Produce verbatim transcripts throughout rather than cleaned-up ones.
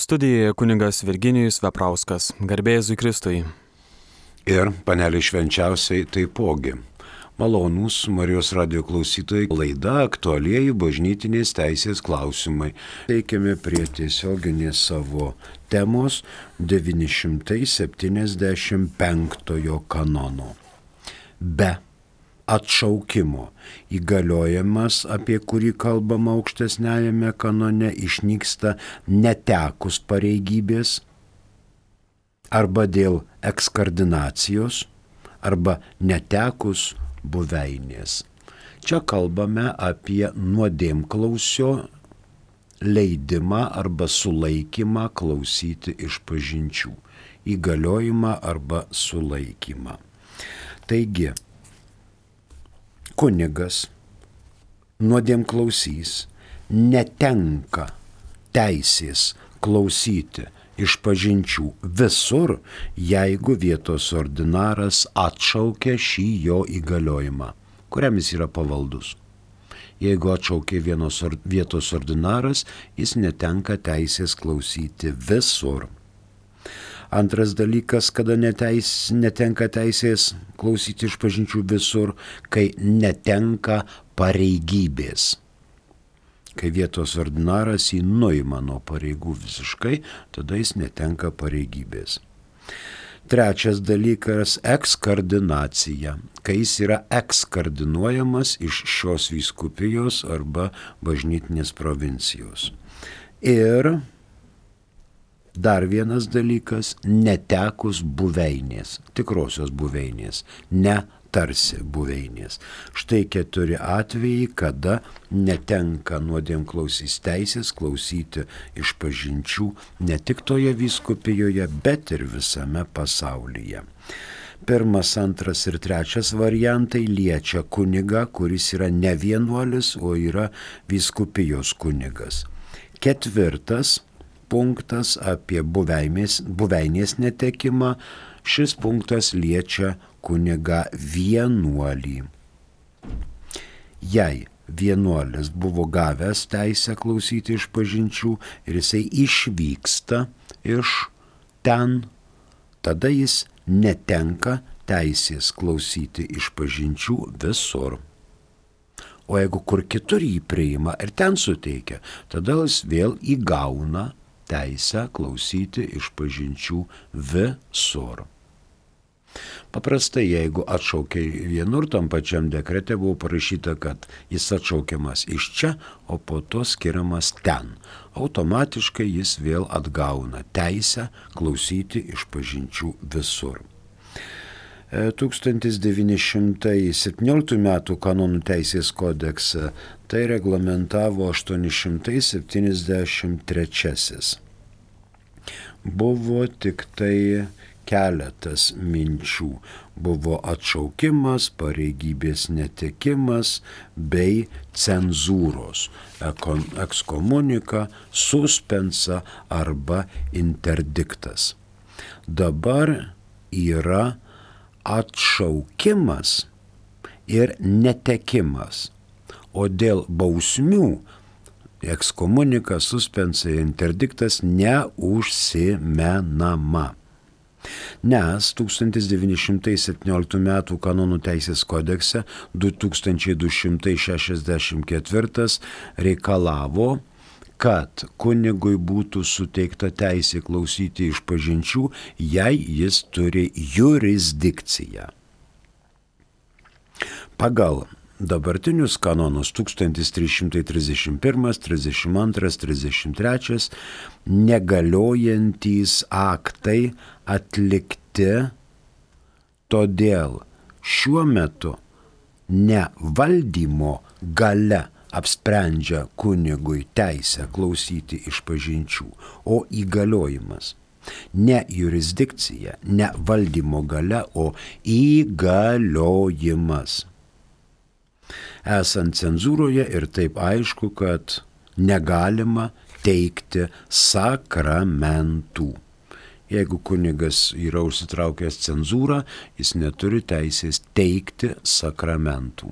Studijoje kunigas Virginijus Veprauskas, garbė Jėzui Kristui. Ir panelė švenčiausiai taipogi. Malonūs Marijos radijo klausytojai, laida aktualieji bažnytinės teisės klausimai. Teikiame prie tiesioginės savo temos devyni šimtai septyniasdešimt penktojo kanono. Be atšaukimo įgaliojimas, apie kurį kalbama aukštesniajame kanone, išnyksta netekus pareigybės arba dėl ekskardinacijos arba netekus buveinės. Čia kalbame apie nuodėmklausio leidimą arba sulaikymą klausyti išpažinčių, įgaliojimą arba sulaikymą. Taigi, kunigas nuodėmklausys netenka teisės klausyti išpažinčių visur, jeigu vietos ordinaras atšaukia šį jo įgaliojimą, kuriam jis yra pavaldus. Jeigu atšaukia vienos or, vietos ordinaras, jis netenka teisės klausyti visur. Antras dalykas, kada neteis, netenka teisės klausyti išpažinčių visur, kai netenka pareigybės. Kai vietos ordinaras jį nuima nuo pareigų visiškai, tada jis netenka pareigybės. Trečias dalykas – ekskardinacija, kai jis yra ekskardinuojamas iš šios vyskupijos arba bažnytinės provincijos. Ir dar vienas dalykas – netekus buveinės, tikrosios buveinės, ne tarsi buveinės. Štai keturi atvejai, kada netenka nuodėmklausys teisės klausyti išpažinčių ne tik toje vyskupijoje, bet ir visame pasaulyje. Pirmas, antras ir trečias variantai liečia kunigą, kuris yra ne vienuolis, o yra vyskupijos kunigas. Ketvirtas punktas apie buveinės, buveinės netekimą, šis punktas liečia kunigą vienuolį. Jei vienuolis buvo gavęs teisę klausyti išpažinčių ir jisai išvyksta iš ten, tada jis netenka teisės klausyti išpažinčių visur. O jeigu kur kitur jį priima ir ten suteikia, tada jis vėl įgauna teisę klausyti išpažinčių visur. Paprastai, jeigu atšaukia vienur, tam pačiam dekrete buvo parašyta, kad jis atšaukiamas iš čia, o po to skiriamas ten. Automatiškai jis vėl atgauna teisę klausyti išpažinčių visur. tūkstantis devyni šimtai septynioliktų metų kanonų teisės kodeksą tai reglamentavo aštuoni šimtai septyniasdešimt trečiasis. Buvo tik tai keletas minčių. Buvo atšaukimas, pareigybės netekimas bei cenzūros, ekskomunika, suspensa arba interdiktas. Dabar yra atšaukimas ir netekimas, o dėl bausmių ekskomunika, suspensa ir interdiktas neužsimenama. Nes tūkstantis devyni šimtai septynioliktų metų kanonų teisės kodekse du tūkstančiai du šimtai šešiasdešimt ketvirtas reikalavo, kad kunigui būtų suteikta teisė klausyti išpažinčių, jei jis turi jurisdikciją. Pagal dabartinius kanonus tūkstantis trys šimtai trisdešimt pirmas, trisdešimt antras, trisdešimt trečias negaliojantys aktai atlikti, todėl šiuo metu ne valdymo galia apsprendžia kunigui teisę klausyti išpažinčių, o įgaliojimas. Ne jurisdikcija, ne valdymo galia, o įgaliojimas. Esant cenzūroje ir taip aišku, kad negalima teikti sakramentų. Jeigu kunigas yra užsitraukęs cenzūrą, jis neturi teisės teikti sakramentų.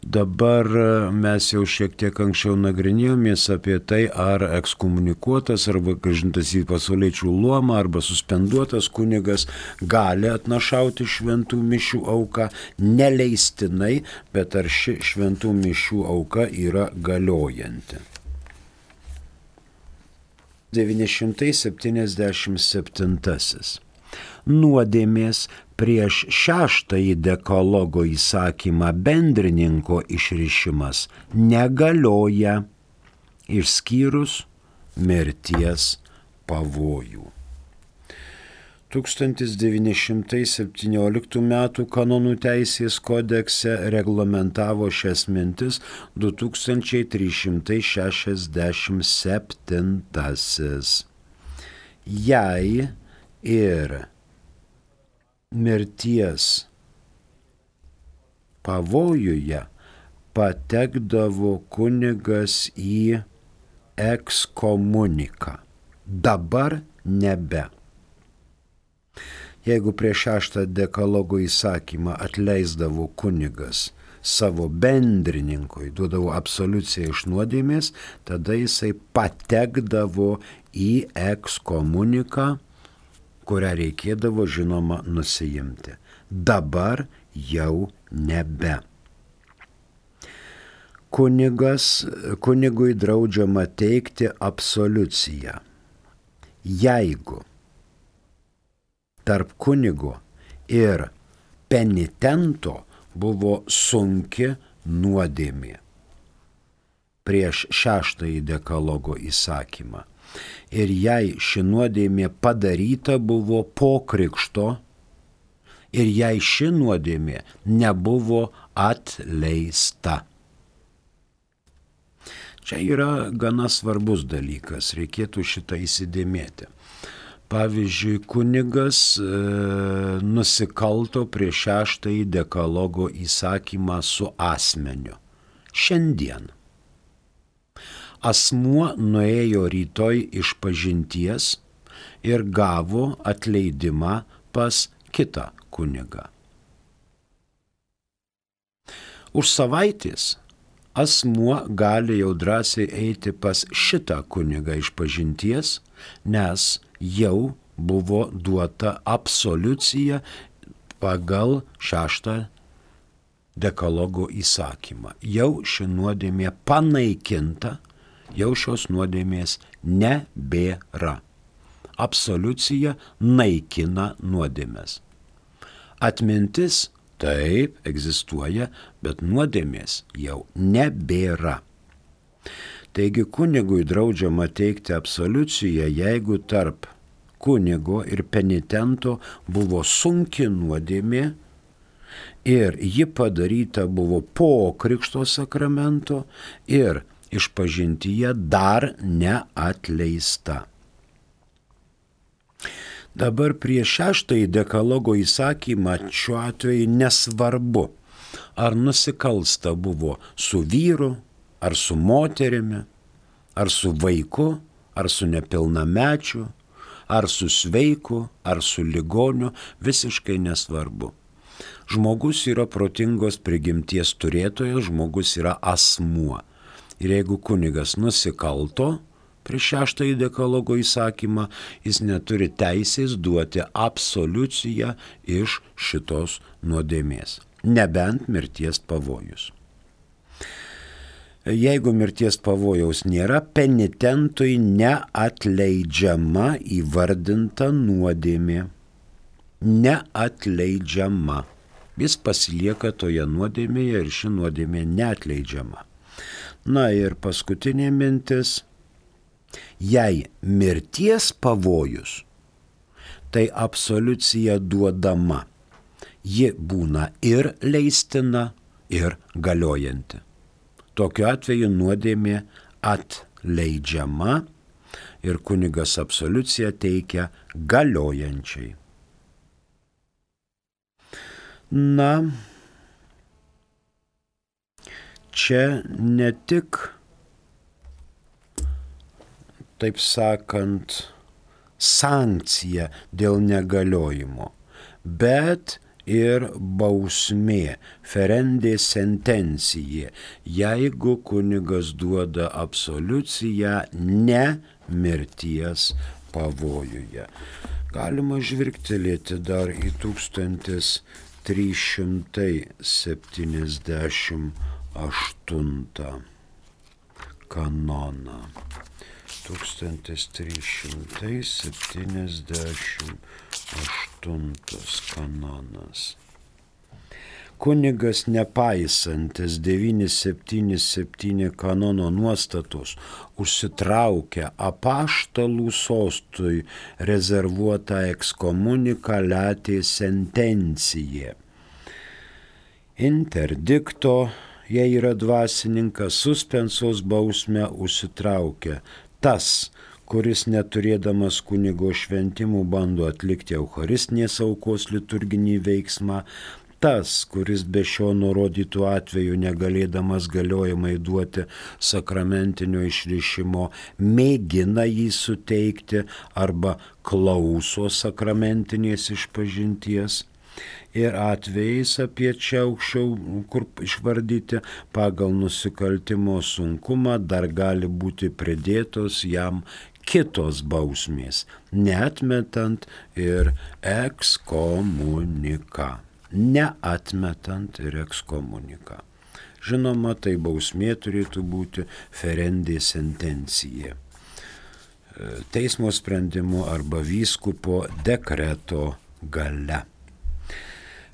Dabar mes jau šiek tiek anksčiau nagrinėjomės apie tai, ar ekskomunikuotas arba grąžintas į pasauliečių luomą arba suspenduotas kunigas gali atnašauti šventų mišių auką neleistinai, bet ar ši šventų mišių auka yra galiojanti. devyni šimtai septyniasdešimt septintasis. Nuodėmės prieš šeštąjį dekalogo įsakymą bendrininko išrišimas negalioja, išskyrus mirties pavojų. tūkstantis devyni šimtai septynioliktų metų kanonų teisės kodekse reglamentavo šias mintis du tūkstančiai trys šimtai šešiasdešimt septintasis. Jei ir mirties pavojuje patekdavo kunigas į ekskomuniką. Dabar nebe. Jeigu prieš šeštą dekalogo įsakymą atleisdavo kunigas savo bendrininkui, duodavo absoliuciją iš nuodėmės, tada jisai patekdavo į ekskomuniką, kurią reikėdavo, žinoma, nusiimti. Dabar jau nebe. Kunigas, kunigui draudžiama teikti absoliuciją, jeigu tarp kunigo ir penitento buvo sunki nuodėmė prieš šeštąjį dekalogo įsakymą. Ir jei ši nuodėmė padaryta buvo po krikšto, ir jei ši nuodėmė nebuvo atleista. Čia yra gana svarbus dalykas, reikėtų šitą įsidėmėti. Pavyzdžiui, kunigas e, nusikalto prieš šeštąjį dekalogo įsakymą su asmeniu. Šiandien asmuo nuėjo rytoj iš pažinties ir gavo atleidimą pas kitą kunigą. Už savaitės asmuo gali jau drąsiai eiti pas šitą kunigą iš pažinties, nes jau buvo duota absoliucija pagal šeštą dekalogo įsakymą. Jau ši nuodėmė panaikinta, jau šios nuodėmės nebėra. Absoliucija naikina nuodėmės. Atmintis taip egzistuoja, bet nuodėmės jau nebėra. Taigi kunigui draudžiama teikti absoliuciją, jeigu tarp kunigo ir penitento buvo sunki nuodėmė ir ji padaryta buvo po krikšto sakramento ir išpažintyje dar neatleista. Dabar prieš šeštąjį dekalogo įsakymą šiuo atveju nesvarbu, ar nusikalsta buvo su vyru, ar su moterimi, ar su vaiku, ar su nepilnamečiu, ar su sveiku, ar su ligoniu, visiškai nesvarbu. Žmogus yra protingos prigimties turėtojas, žmogus yra asmuo. Ir jeigu kunigas nusikalto prieš šeštąjį dekalogo įsakymą, jis neturi teisės duoti absoliuciją iš šitos nuodėmės, nebent mirties pavojus. Jeigu mirties pavojaus nėra, penitentui neatleidžiama įvardinta nuodėmė. Neatleidžiama. Jis pasilieka toje nuodėmėje ir ši nuodėmė neatleidžiama. Na ir paskutinė mintis. Jei mirties pavojus, tai absoliucija duodama. Ji būna ir leistina, ir galiojanti. Tokiu atveju nuodėmė atleidžiama ir kunigas absoliuciją teikia galiojančiai. Na, čia ne tik, taip sakant, sankcija dėl negaliojimo, bet ir bausmė, ferendė sentencija, jeigu kunigas duoda absoliuciją ne mirties pavojuje. Galima žvilgtelėti dar į tūkstantis trys šimtai septyniasdešimt aštuntą kanoną. tūkstantis trys šimtai septyniasdešimt aštuntas kanonas. Kunigas nepaisantis devyni septyni septyni kanono nuostatos užsitraukia apaštalų sostui rezervuotą ekskomuniką latė sentencija. Interdikto, jei yra dvasininkas, suspensos bausmę užsitraukia tas, kuris neturėdamas kunigo šventimų bando atlikti eucharistinės aukos liturginį veiksmą, tas, kuris be šio nurodytų atveju negalėdamas galiojamai duoti sakramentinio išrišimo, mėgina jį suteikti arba klauso sakramentinės išpažinties. Ir atvejais apie čia aukščiau, kur išvardyti, pagal nusikaltimo sunkumą dar gali būti pridėtos jam kitos bausmės, neatmetant ir ekskomuniką. Neatmetant ir ekskomuniką. Žinoma, tai bausmė turėtų būti ferendė sentencija. Teismo sprendimu arba vyskupo dekreto gale.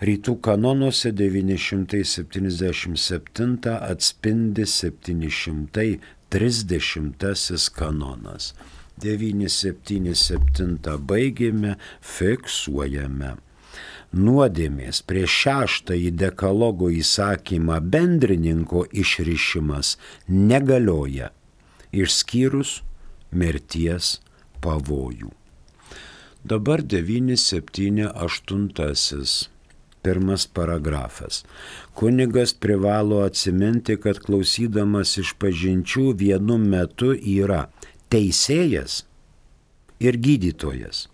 Rytų kanonuose devyni šimtai septyniasdešimt septyni atspindi septyni šimtai trisdešimtasis kanonas. devyni septyni septyni baigėme, fiksuojame. Nuodėmės prieš šeštąjį dekalogo įsakymą bendrininko išrišimas negalioja, išskyrus mirties pavojų. Dabar devyni septyni aštuntasis. Pirmas paragrafas. Kunigas privalo atsiminti, kad klausydamas išpažinčių vienu metu yra teisėjas ir gydytojas.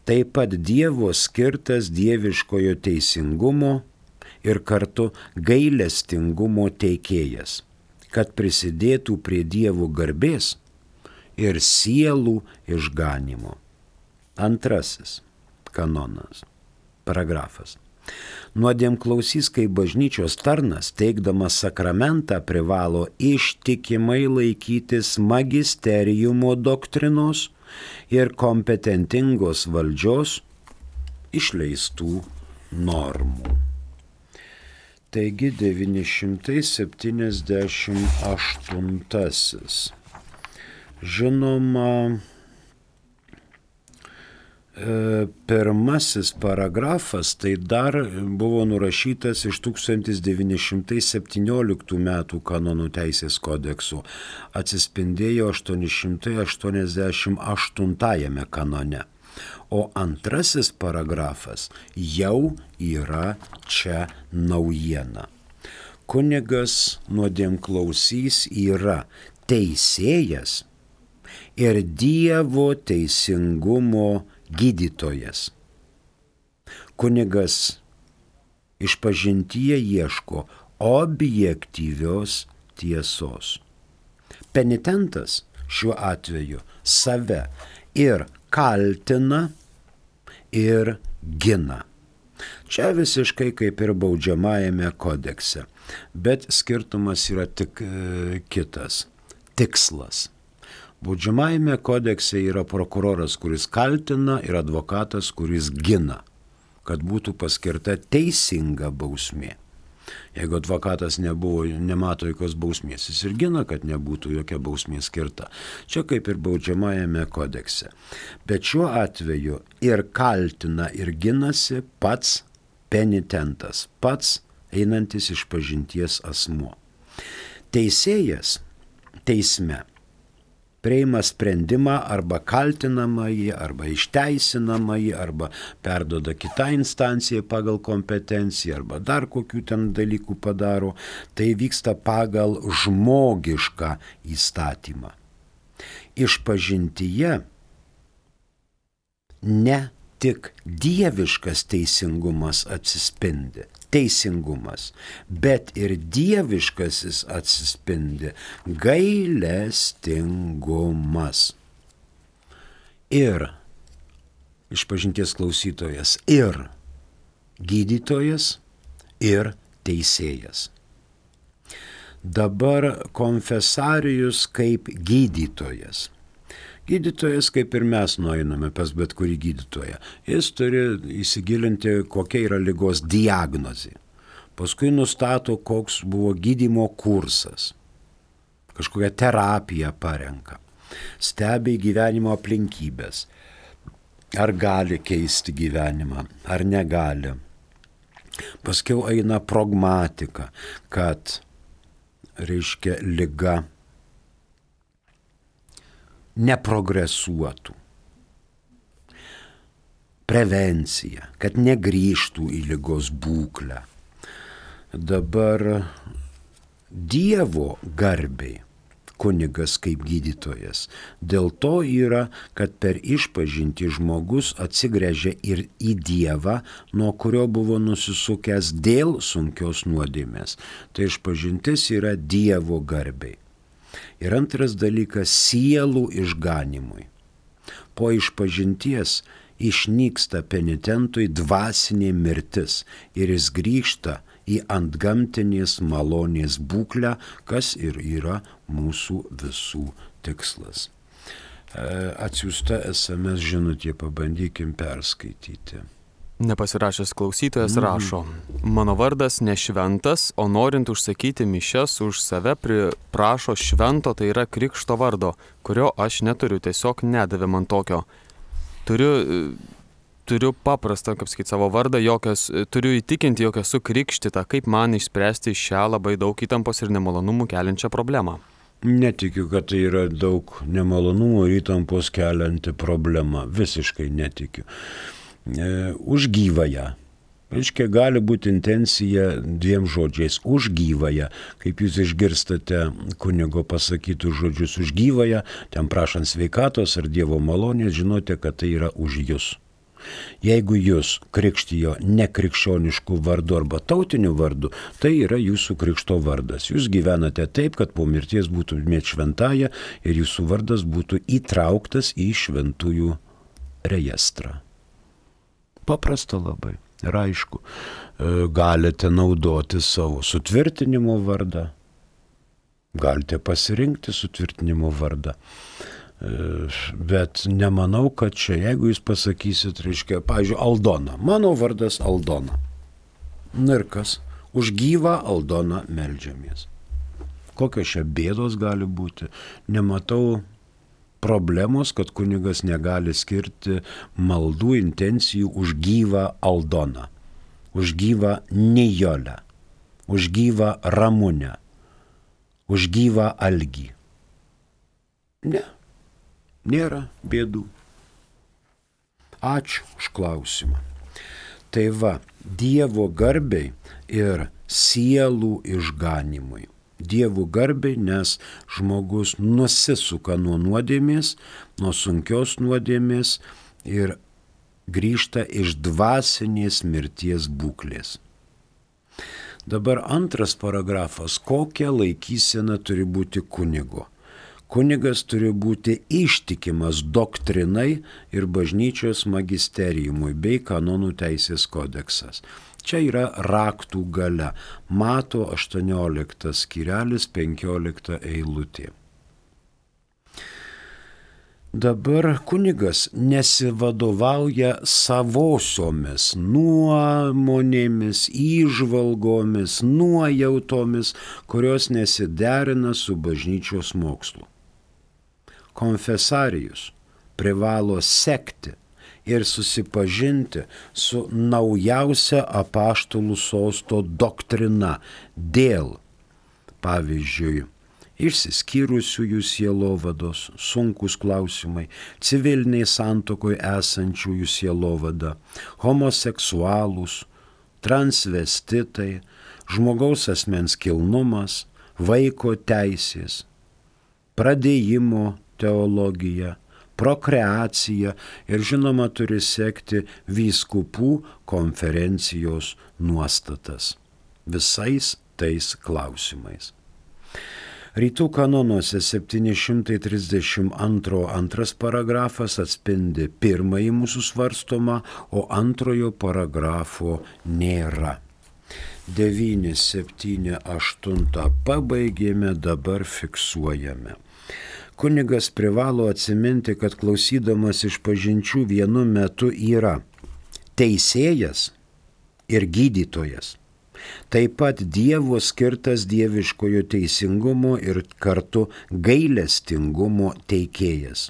Taip pat Dievo skirtas dieviškojo teisingumo ir kartu gailestingumo teikėjas, kad prisidėtų prie Dievo garbės ir sielų išganimo. Antrasis kanonas, paragrafas. Nuodėmklausys kaip bažnyčios tarnas, teikdamas sakramentą, privalo ištikimai laikytis magisteriumo doktrinos ir kompetentingos valdžios išleistų normų. Taigi devyni šimtai septyniasdešimt aštuntasis. Žinoma, pirmasis paragrafas tai dar buvo nurašytas iš tūkstantis devyni šimtai septynioliktų metų kanonų teisės kodekso, atsispindėjo aštuoni šimtai aštuoniasdešimt aštuntajame kanone, o antrasis paragrafas jau yra čia naujiena. Kunigas nuodėmklausys yra teisėjas ir Dievo teisingumo gydytojas. Kunigas išpažintyje ieško objektyvios tiesos. Penitentas šiuo atveju save ir kaltina, ir gina. Čia visiškai kaip ir baudžiamajame kodekse, bet skirtumas yra tik e, kitas – tikslas. Baudžiamajame kodekse yra prokuroras, kuris kaltina, ir advokatas, kuris gina, kad būtų paskirta teisinga bausmė. Jeigu advokatas nebuvo, nemato jokios bausmės, jis ir gina, kad nebūtų jokia bausmė skirta. Čia kaip ir baudžiamajame kodekse. Bet šiuo atveju ir kaltina, ir ginasi pats penitentas, pats einantis išpažinties asmuo. Teisėjas teisme priima sprendimą arba kaltinamąjį, arba išteisinamąjį, arba perduoda kitą instanciją pagal kompetenciją, arba dar kokių ten dalykų padaro. Tai vyksta pagal žmogišką įstatymą. Išpažintyje ne tik dieviškas teisingumas atsispindi. Teisingumas, bet ir dieviškasis atsispindi gailestingumas. Ir išpažinties klausytojas, ir gydytojas, ir teisėjas. Dabar konfesarijus kaip gydytojas. Gydytojas, kaip ir mes nueiname pas bet kurį gydytoją, jis turi įsigilinti, kokia yra ligos diagnozė. Paskui nustato, koks buvo gydymo kursas. Kažkokią terapiją parenka. Stebi gyvenimo aplinkybės. Ar gali keisti gyvenimą, ar negali. Paskui eina pragmatika, kad, reiškia, liga neprogresuotų. Prevencija, kad negrįžtų į ligos būklę. Dabar Dievo garbei kunigas kaip gydytojas. Dėl to yra, kad per išpažintį žmogus atsigręžia ir į Dievą, nuo kurio buvo nusisukęs dėl sunkios nuodėmės. Tai išpažintis yra Dievo garbei. Ir antras dalykas – sielų išganimui. Po išpažinties išnyksta penitentui dvasinė mirtis ir jis grįžta į antgamtinės malonės būklę, kas ir yra mūsų visų tikslas. Atsiųsta es em es žinutė, pabandykim perskaityti. Nepasirašęs klausytojas mm. rašo, mano vardas ne šventas, o norint užsakyti mišias už save prašo švento, tai yra krikšto vardo, kurio aš neturiu, tiesiog nedavė man tokio. Turiu, turiu paprastą, kaip sakyti, savo vardą, jokios, turiu įtikinti, jog esu krikštita, kaip man išspręsti šią labai daug įtampos ir nemalonumų keliančią problemą. Netikiu, kad tai yra daug nemalonumų ir įtampos kelianti problema, visiškai netikiu. Už gyvąją. Reiškia, gali būti intencija dviem žodžiais. Už gyvąją. Kaip jūs išgirstate kunigo pasakytus žodžius už gyvąją, ten prašant sveikatos ar Dievo malonės, žinote, kad tai yra už jūs. Jeigu jūs krikštijo nekrikščioniškų vardu arba tautiniu vardu, tai yra jūsų krikšto vardas. Jūs gyvenate taip, kad po mirties būtumėt šventąją ir jūsų vardas būtų įtrauktas į šventųjų rejestrą. Paprasta labai. Ir aišku, galite naudoti savo sutvirtinimo vardą, galite pasirinkti sutvirtinimo vardą. Bet nemanau, kad čia, jeigu jūs pasakysit, reiškia, pavyzdžiui, Aldona. Mano vardas Aldona. Na ir kas? Už gyvą Aldoną meldžiamės. Kokios čia bėdos gali būti? Nematau problemos, kad kunigas negali skirti maldų intencijų už gyvą Aldoną, už gyvą Nijolę, už gyvą Ramunę, už gyvą Algį. Ne, nėra bėdų. Ačiū už klausimą. Tai va, Dievo garbei ir sielų išganimui. Dievo garbei, nes žmogus nusisuka nuo nuodėmės, nuo sunkios nuodėmės ir grįžta iš dvasinės mirties būklės. Dabar antras paragrafas. Kokia laikysena turi būti kunigo? Kunigas turi būti ištikimas doktrinai ir bažnyčios magisteriumui bei kanonų teisės kodeksas. Čia yra raktų galia. Mato aštuonioliktas skyrelis, penkiolikta eilutė. Dabar kunigas nesivadovauja savosiomis nuomonėmis, įžvalgomis, nuojautomis, kurios nesiderina su bažnyčios mokslu. Konfesarijus privalo sekti ir susipažinti su naujausia apaštalų sosto doktrina dėl, pavyzdžiui, išsiskyrusiųjų sielovados, sunkus klausimai, civiliniai santuokoje esančiųjų sielovada, homoseksualūs, transvestitai, žmogaus asmens kilnumas, vaiko teisės, pradėjimo teologija, prokreacija ir žinoma turi sekti vyskupų konferencijos nuostatas visais tais klausimais. Rytų kanonuose septyni šimtai trisdešimt du antras paragrafas atspindi pirmąjį mūsų svarstomą, o antrojo paragrafo nėra. devyni, septyni, aštuoni pabaigėme, dabar fiksuojame. Kunigas privalo atsiminti, kad klausydamas išpažinčių vienu metu yra teisėjas ir gydytojas. Taip pat Dievo skirtas dieviškojo teisingumo ir kartu gailestingumo teikėjas,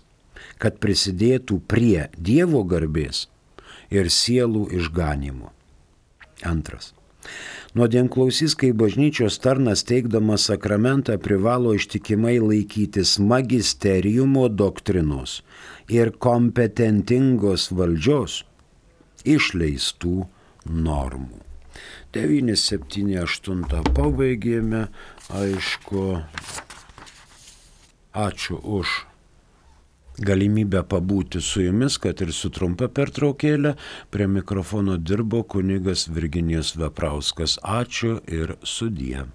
kad prisidėtų prie Dievo garbės ir sielų išganimo. Antras. Nuodėmklausys, kai bažnyčios tarnas teikdamas sakramentą privalo ištikimai laikytis magisteriumo doktrinos ir kompetentingos valdžios išleistų normų. devyni, septyni, aštuoni pabaigėme, aišku, ačiū už galimybę pabūti su jumis, kad ir su trumpa pertraukėlė. Prie mikrofono dirbo kunigas Virginijus Veprauskas. Ačiū ir sudie.